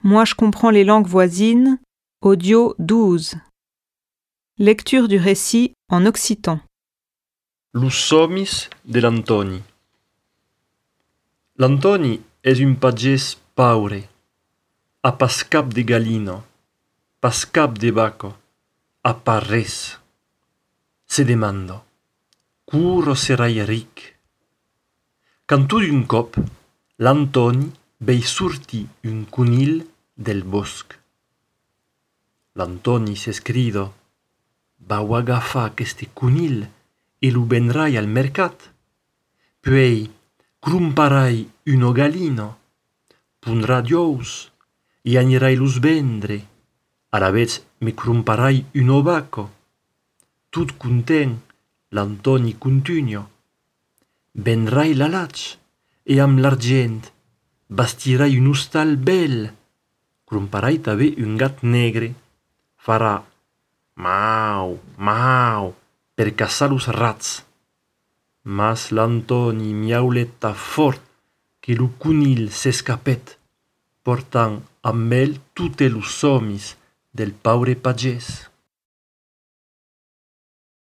Moi je comprends les langues voisines, audio 12. Lecture du récit en occitan. Los somis de l'Antoni. L'Antoni és un pagès paure, a pas cap de gallina, pas cap de vaca, a pas res. Se demanda, curo serai ric? Quand tot d'un cop, l'Antoni vei sortir un conill del bosc. L'Antoni s'escrida, vau agafar aquest conill e lo vendrai al mercat. Puei cromparai una gallina, pondrà d'ous e anirai los vendre. Alavez me cromparai una vaca. Tot content, l'Antoni continua. Vendrai la laig e amb l'argent bastirai un hostal bel. Cromparai també un gat negre. Farà mau, mau, per caçar los rats. Mas l'Antoni miauleta fort que lo conill s'escapet, portant amb ell totes los somis del paure pagès.